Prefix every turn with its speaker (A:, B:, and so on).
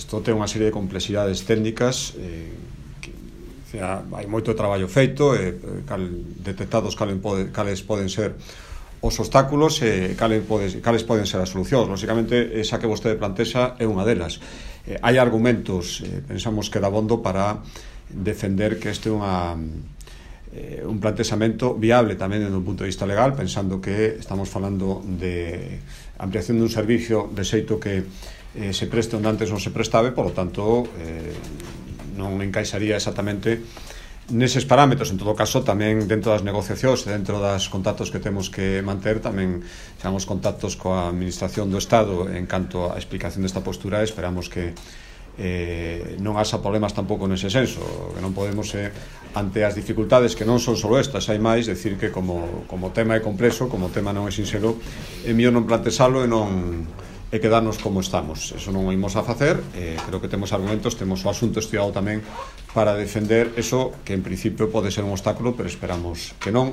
A: Isto ten unha serie de complexidades técnicas hai moito traballo feito, detectados cales poden ser os obstáculos e cales poden ser as solucións. Lógicamente, esa que vostede plantexa é unha delas. Hai argumentos, pensamos que dabondo para defender que este é un plantexamento viable tamén desde un punto de vista legal, pensando que estamos falando de ampliación dun servicio de xeito que se preste onde antes non se prestaba, por lo tanto non encaixaría exactamente neses parámetros. En todo caso, tamén dentro das negociacións e dentro das contactos que temos que manter, tamén xamos contactos coa Administración do Estado en canto á explicación desta postura. Esperamos que non haxa problemas tampouco nese senso, que non podemos ante as dificultades que non son só estas, hai máis, decir que como tema é complexo, como tema non é sinxelo, é mellor non plantexalo e quedarnos como estamos. Eso non o imos a facer. Creo que temos argumentos, temos o asunto estudiado tamén para defender eso, que en principio pode ser un obstáculo, pero esperamos que non.